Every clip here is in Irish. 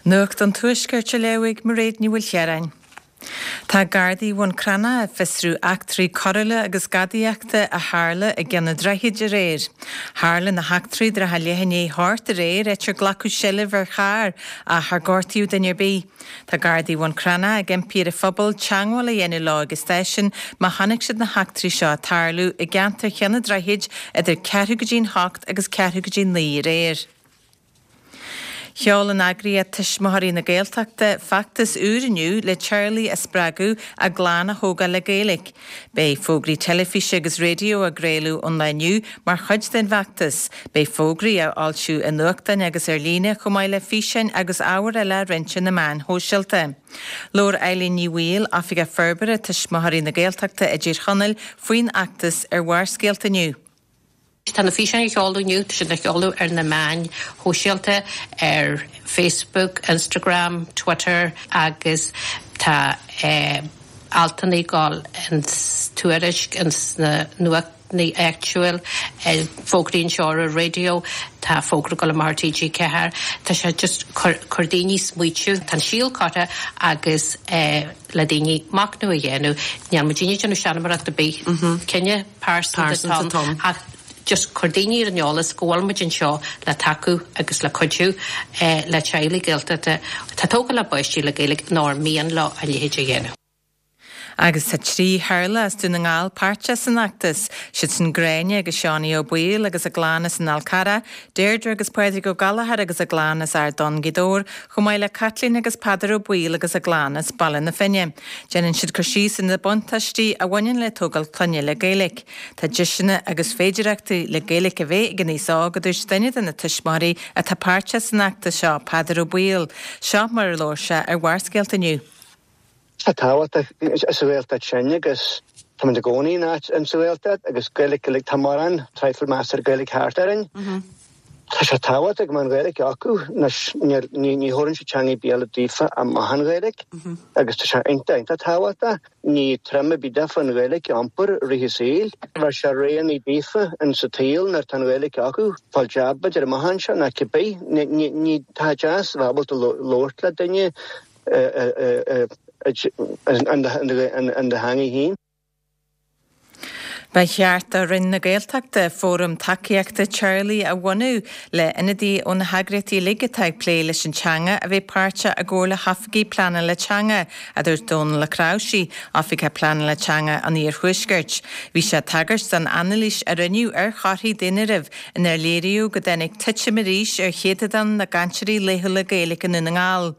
Nuacht an Tuaiscirt á léamh ag Mairéad Ní Mhaoilchiaráin. Tá Gardaí Bhun Cranncha ag fiosrú eachtraí coiriúla agus gadaíochta a tharla i gCeann an Droichid aréir. Tharla na heachtraí trátha leath i ndiaidh a hocht aréir áit ar glacadh seilbh ar charr ach char gortaíodh duine ar bith. Tá Gardaí Bhun Cranncha ag impí ar an phobal teagmháil a dhéanamh leo ag an stáisiún má chonaic siad na heachtraí seo ag tarlú i gceantar Cheann an Droichid idir ceathrú go dtí'n hocht agus ceathrú go dtí 9 aréir. Sheol an eagraíocht Tuismitheoirí na Gaeltachta feachtas úr inniu le teaghlaigh a spreagadh a gclann a thógáil le Gaeilge. Beidh fógraí teilifíse agus raidió á gcraoladh ón lá inniu mar chuid den bhfeachtas. Beidh fógraí á fhoilsiú i nuachtáin agus ar líne chomh maith le físeáin agus ábhar eile á roinnt ar na meáin shóisialta. Labhair Eileen Ní Bhaoill, Oifigeach Forbartha Tuismitheoirí na Gaeltachta i dTír Chonaill faoin fheachtas ar Bharrscéalta inniu. Tá na físeáin á sheoladh inniu, tá siad á sheoladh ar na meáin shóisialta, ar Facebook, Instagram, Twitter agus tá altanna ag dul ins Tuairisc, ins na nuachtáin áitiúil, fógraí anseo ar an raidió, tá fógra ag dul amach ar TG4. Tá sé just cur cur daoine smaoitiú, tá an síol curtha agus le daoine machnamh a dhéanamh. Níl muidinne ag déanamh seanmóireacht ar bith, cinneadh pearsanta atá ann ach just cur daoine ar an eolas go bhfuil muid anseo le tacú agus le cuidiú le teaghlaigh Gaeltachta atá ag tógáil a bpáistí le Gaeilge nó ar mian leo a leithéid a dhéanamh. Agus tá 3 theaghlach as Dún na nGall páirteach san fheachtas, siad sin Gráinne agus Seánie Ó Baoill agus a gclann as an Fhál Carrach, Deirdre agus Pádraig Ó Gallchóir agus a gclann as Ard Donn, Gaoth Dobhair, chomh maith le Caitlín agus Peadar Ó Baoill agus a gclann as Baile na Finne. Déanann siad cur síos ar na buntáistí a bhaineann le tógáil clainne le Gaeilge. Tá deiseanna agus féidireachtaí le Gaeilge a bheith ag an aos óg, a dúirt duine de na tuismitheoirí atá páirteach san fheachtas seo, Peadar Ó Baoill. Seo mar a labhair sé ar Bharrscéalta inniu. Tá tábhacht sa Ghaeltacht sin agus táimid i gcónaí in áit in sa Ghaeltacht agus Gaeilge, Gaeilge, tá mórán traidhfil measartha Gaeilge thart orainn. Tá sé tábhachtach go mbeadh an Ghaeilge acu anois ní ní thabharann sé teanga ar bith eile daofa amach an Ghaeilge agus tá sé iontach iontach tábhachtach. Ní trom ar bith daofa an Ghaeilge a iompar i rith a saoil. Bheadh sé roghanna daofa in sa tsaol nuair atá an Ghaeilge acu, fáil jab b'fhéidir amach anseo nó cibé. Ní ní ní tá deas a bheith ábalta labhairt le duine in do theanga féin. Ba cheart do Roinn na Gaeltachta fóram tacaíochta teaghlaigh a bhunú le ionadaithe ó na heagraíochtaí uilig atá ag plé leis an teanga a bheith páirteach i gcomhar le hoifigigh pleanála teanga, a dúirt Dónal Ó Cnáimhsí, Oifigeach Pleanála Teanga an Iarthuaiscirt. Bhí sé ag tagairt don anailís a rinneadh ar thorthaí daonáirimh inar léiríodh go dtáinig titim arís ar chéatadán na gcainteoirí laethúla Gaeilge i nDún na nGall.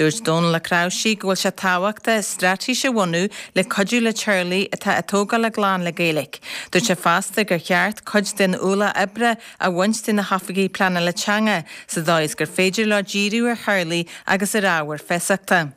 Dúirt Dónal Ó Cnáimhsí go bhfuil sé tábhachtach straitéis a bhunú le cuidiú le teaghlaigh atá ag tógáil a gclann le Gaeilge. Dúirt sé fosta gur cheart cuid den ualach oibre a bhaint de na hoifigigh pleanála teanga sa dóigh is gur féidir leo díriú ar theaghlaigh agus ar ábhair feasachta.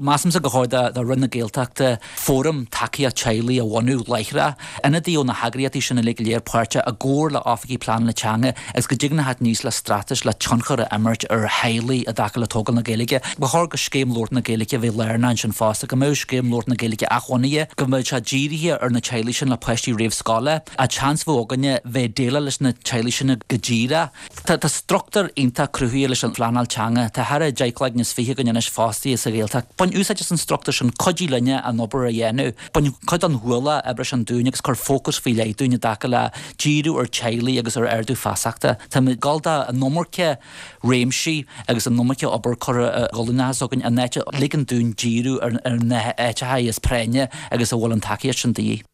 Measaimse gur chóir do Roinn na Gaeltachta fóram tacaíocht teaghlaigh a bhunú láithreach, ionadaí ó na heagraíochtaí sin uilig go léir páirteach i gcomhar le oifigigh pleanála teanga agus go dtig na theacht aníos le straitéis le tionchar a imirt ar theaghlaigh i dtaca le tógáil na Gaeilge. Ba chóir go scéim labhairt na Gaeilge a bheith lárnach ansin fosta, go mbeadh scéim labhairt na Gaeilge athbhunaithe, go mbeadh sé dírithe ar na teaghlaigh sin le páistí réamhscoile, an tseans a bheadh againne bheith ag déileáil leis na teaghlaigh sin go díreach. Tá struchtúr iontach cruthaithe leis an phleanáil teanga. Tá thar 10 cloigne is 20 againn anois fostaithe sa Ghaeltacht. Bain úsáid as an struchtúr sin, cuidigh linne an obair a dhéanamh. Bain cuid den ualach oibre sin dúinn agus cuir fócas faoi leith dúinn i dtaca le díriú ar teaghlaigh agus ar ardú feasachta. Táimid ag dul do an iomarca réimsí agus an iomarca obair curtha i gcolainn s'againn in áit a ligean dúinn díriú ar na háiteacha is práinne agus a bhfuil an tacaíocht sin de dhíth.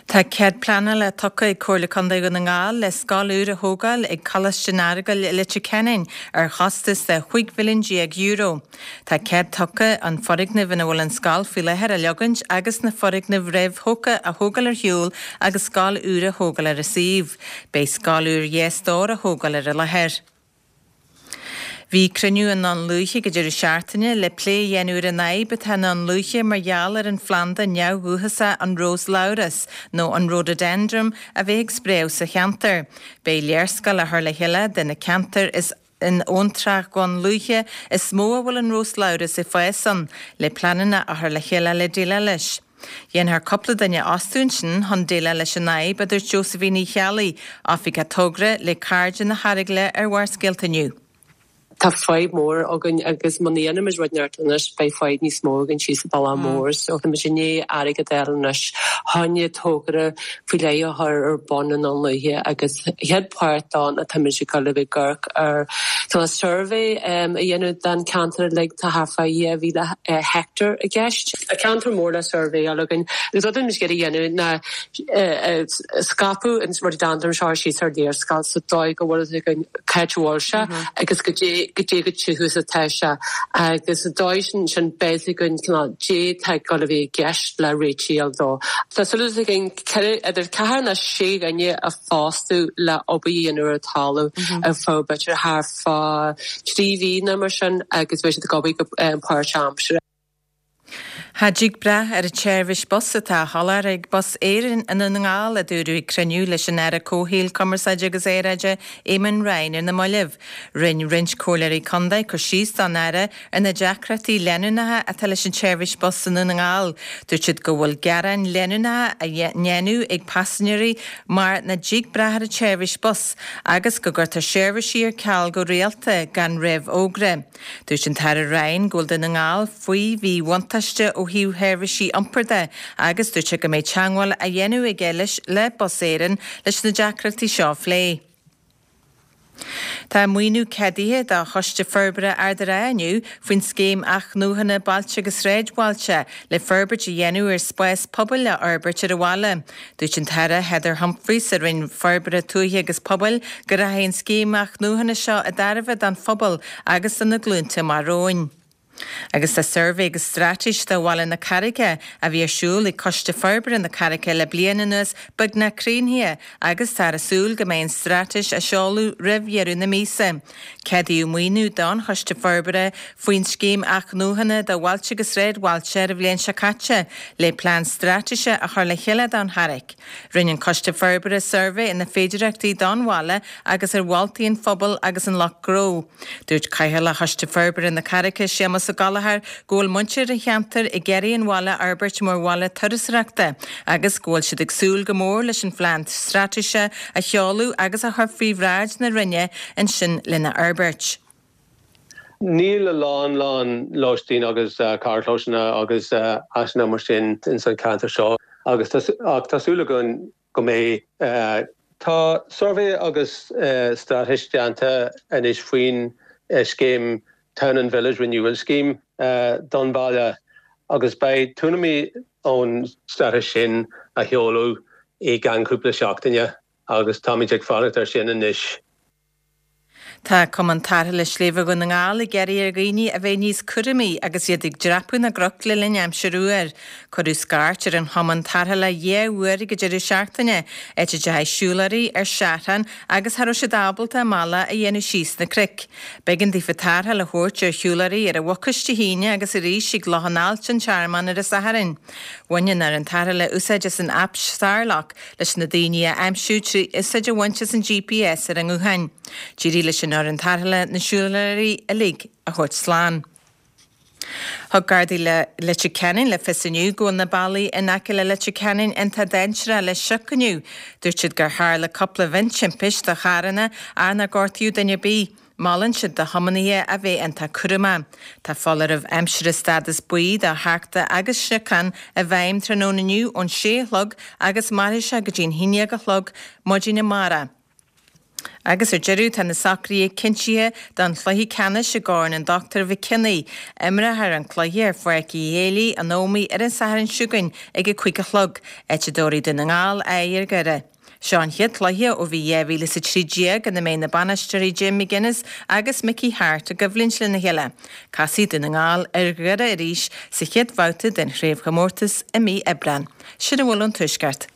Tá cead pleanála tugtha ag Comhairle Contae Dhún na nGall le scoil úr a thógáil ag Coláiste an Earagail i Leitir Ceanainn ar chostas de €15 mhilliún. Tá cead tugtha an foirgneamh ina bhfuil an scoil faoi láthair a leogaint agus na foirgnimh réamhthógtha a thógáil ar shiúl agus scoil úr a thógáil ar an suíomh. Beidh scoil úr dhá stór á thógáil ar an láthair. Bhí cruinniú i nDún Lúiche ag an deireadh seachtaine le plé a dhéanamh ar an fhadhb atá i nDún Lúiche mar gheall ar an phlanda neamhdhúchasach an rós-labhras, nó an rhododendron, a bheith ag spréadh sa cheantar. Beidh léarscáil á chur le chéile de na ceantair is in abhantrach Dhún Lúiche is mó a bhfuil an rós-labhras ag fás ann, le pleananna a chur le chéile le déileáil leis. Dhéanfar cúpla duine a fhostú ansin chun déileáil leis an fhadhb, a dúirt Josephine Uí Cheallaigh, Oifigeach Togra le Cairde na hEaragaile ar Bharrscéalta inniu. Tá fadhb mór againn agus muna dhéanaimid rud inteacht anois beidh fadhb níos mó againn síos an bealach mór. So táimid i ndiaidh airgead a fháil anois chun togra faoi leith a chur ar bun i nDún Lúiche agus chéad pháirt dó ná táimid ag dul a bheith ag amharc ar tá suirbhé a dhéanamh den cheantar uilig, tá thart fá 2,000 heicteár i gceist. Tá ceantar mór le suirbhéáil againn agus rud atáimid ag iarraidh a dhéanamh ná scaipeadh an rhododendron seo síos ar léarscáil sa dóigh go bhfuil a fhios againn cá háit a bhfuil sé agus goidé goidé chomh tiubh is atá sé agus sa dóigh sin sin beidh a fhios againn cineál goidé atá ag dul a bheith i gceist le réitigh a fháil dó. Tá súil againn idir ceathair nó sé dhuine a phostú le obair a dhéanamh ar an talamh ar feadh b'fhéidir thart fá thrí mhí nó mar sin agus beidh siad ag obair go páirtaimseartha. Cha dtig brath ar an tseirbhís bus atá á sholáthar ag Bus Éireann i nDún na nGall, a dúradh ag cruinniú leis an Aire Comhshaoil, Cumarsáide agus Aeráide, Eamon Ryan ar na mallaibh. Rinne roinnt comhairleoirí contae cur síos don Aire ar na deacrachtaí leanúnacha atá leis an tseirbhís bus i nDún na nGall. Dúirt siad go bhfuil gearáin leanúnacha á ndéanamh ag paisinéirí mar nach dtig brath ar an tseirbhís bus agus go gcuirtear seirbhísí ar ceal go rialta gan réamhfhógra. Dúirt an tAire Ryan go bhfuil Dún na nGall faoi mhíbhuntáiste ó thaobh sheirbhísí iompair de agus dúirt sé go mbeidh teagmháil á dhéanamh aige leis le Bus Éireann leis na deacrachtaí seo a phlé. Tá maoiniú ceadaithe do Choiste Forbartha Ard an Rátha inniu faoin Scéim Athnuachana Bailte agus Sráidbhailte le forbairt a dhéanamh ar spás pobail a fhorbairt ar an bhaile. Dúirt an tAire Heather Humphreys sa Roinn Forbartha Tuaithe agus Pobail go rachaidh an scéim athnuachana seo i dtairbhe don phobal agus do na glúnta amach romhainn. Agus tá suirbhé agus straitéis do bhaile na Carraice a bhí ar siúl ag Coiste Forbartha na Carraice le bliain anuas beagnach críochnaithe agus táthar ag súil go mbeidh an straitéis á seoladh roimh dheireadh na míosa. Ceadaíodh maoiniú don Choiste Forbartha faoin Scéim Athnuachana do Bhailte agus Sráidbhailte ar an bhliain seo caite le plean straitéise a chur le chéile don Charraic. Rinne an Coiste Forbartha suirbhé ar na féidearthachtaí don bhaile agus ar mholtaí an phobail agus an lucht gnó. Dúirt Cathaoirleach Choiste Forbartha na Carraice, Séamus Ó Gallchóir, go bhfuil muintir an cheantair ag iarraidh an bhaile a fhorbairt mar bhaile turasóireachta agus go bhfuil siad ag súil go mór leis an phlean straitéise a sheoladh agus a chur faoi bhráid na Roinne ansin lena fhorbairt. Níl a lán lán lóistín agus carrchlósanna agus áiseanna mar sin ins an ceantar seo agus ach tá súil againn go mbeidh. Tá suirbhé agus straitéis déanta anois faoin scéim Town and Village Renewal Scheme don bhaile agus beidh tuairimí ón straitéis sin á sheoladh i gceann cúpla seachtaine agus táimid ag fanacht air sin anois. Tá Cumann Tarrthála Sléibhe Dhún na nGall ag iarraidh ar dhaoine a bheith níos cúramaí agus iad ag dreapadh na gcnoc le linn aimsir fhuar. Cuireadh scairt ar an Chumann Tarrthála 2 uair ag an deireadh seachtaine, áit a dteachaigh siúlóirí ar seachrán agus cha raibh siad ábalta a mbealach a dhéanamh síos na cnoic. B'éigean daofa tarrtháil a thabhairt ar shiúlóirí ar an Mhucais Dé hAoine agus arís ag Loch an Ailt, An Tearmann ar an Satharn. Bhain an fhoireann tarrthála úsáid as an aip Sárlaoch leis na daoine a aimsiú trí úsáid a bhaint as an GPS ar a ngutháin. D'éirigh leis an fhoireann tarrthála na siúlóirí uilig a thabhairt slán. Thug Gardaí Leitir Ceanainn le fios inniu go bhfuil na bealaí in aice le Leitir Ceanainn iontach dainséarach le sioc inniu. Dúirt siad gur tharla cúpla mhiontimpist do charranna ach nár gortaíodh duine ar bith. Molann siad do thiománaithe a bheith iontach cúramach. Tá foláireamh aimsire stádas buí do tharchta agus sniocán i bhfeidhm tráthnóna inniu ón sé a chlog agus mairfidh sé go dtí'n haon dhéag a chlog maidin amárach. Agus ar deireadh tá na socruithe cinntithe don chluiche ceannais i gCorn an Dr Mhic Cionnaith. Imreofar an cluiche ar Pháirc Uí Héalaí, an Ómaigh ar an Satharn seo chugainn ag a 5 a chlog, áit a dtabharfaidh Dún na nGall aghaidh ar Dhoire. Seo an chéad chluiche ó bhí 2013 ina mbeidh na bainisteoirí Jim McGuinness agus Mickey Harte i gcoimhlint lena chéile. Casfaidh Dún na nGall ar Dhoire arís sa chéad bhabhta den chraobhchomórtas i mí Aibreáin. Sin a bhfuil ón Tuaisceart.